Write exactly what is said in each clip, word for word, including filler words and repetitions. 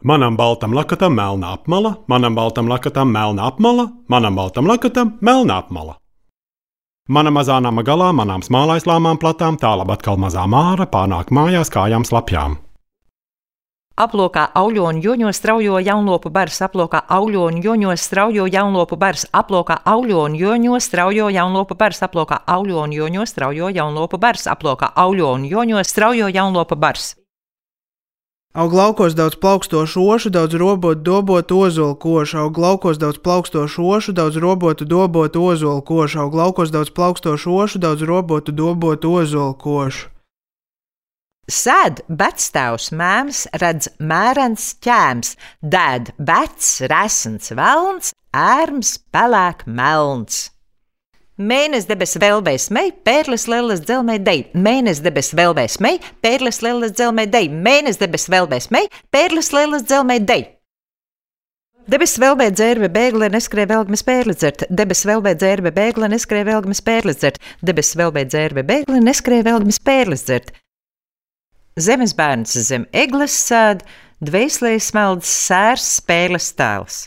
Manam baltam lakatam melna apmala, manam baltam lakatam melna apmala, manam baltam lakatam melna apmala. Mana mazā nama galā, manām smālaislāmām platām, tālāk atkal mazā māra pārnāk mājās kājām slapjām. Aplokā auļoņu joņos straujo jaunlopu bars, aplokā auļoņu joņos straujo jaunlopu bars, aplokā auļoņu joņos straujo jaunlopu bars, aplokā auļoņu joņos straujo jaunlopu bars, aplokā auļoņu joņos straujo jaunlopu bars. Aug laukos daudz plaukstošu ošu, daudz robotu, dobotu, ozolu košu. Aug laukos daudz plaukstošu ošu, daudz robotu, dobotu, ozolu košu. Aug laukos daudz plaukstošu ošu, daudz robotu, dobotu, ozolu košu. Sēd vectēvs mēms, redz mērens ķēms, dēd vecs, resns velns, ērms pelēk melns. Mēnes debes velbēs mei, pērles lelles dzelmē dei, mēnes debes velbēs mei, pērles lelles dzelmē dei, mēnes debes velbēs mei, pērles lelles dzelmē dei. Debes velbē dzērve bēgle neskrē velgmes pērli dzert, debes velbē dzērve bēgle neskrē velgmes pērli dzert, debes velbē dzērve bēgle neskrē velgmes pērli dzert. Zemes bērns zem egles sēd, dvēselē smeldz sērs spēles tēls.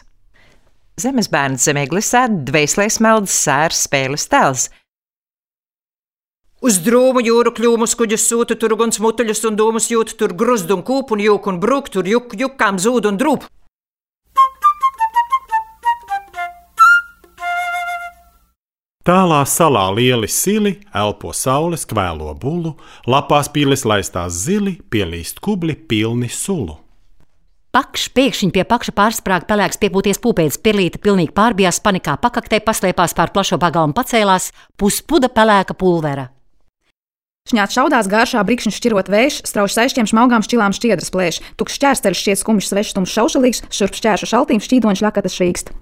Zemes bērns zem egles sēd, dvēselē smeldz sērs spēles tēls. Uz drūmu jūru kļūmus kuģus sūtu, tur guns mutuļus un dūmus jūt, tur gruzd un kūp un jūk un brūk, tur juk, jukām zūd un drūp. Tālā salā lieli sili, elpo saules, kvēlo bulu, lapās pīles laistās zili, pielīst kubli pilni sulu. Pakš pēkšņi pie pakša pārsprāga pelēks piepūties pūpēdis, pirlīte pilnīgi pārbijās, panikā pakaktē paslēpās pār plašo pagalmu pacēlās, puspuda pelēka pulvera. Šņāt šaudās gāršā brikšņu šķirot vējš, strauši saišķiem šmaugām šķilām šķiedras plēš, tukšs šķērsteļš šķiet skumjš svešs tums šaušalīgs, šurp šķēršu šaltīm šķīdoņš ļakatas šīkst.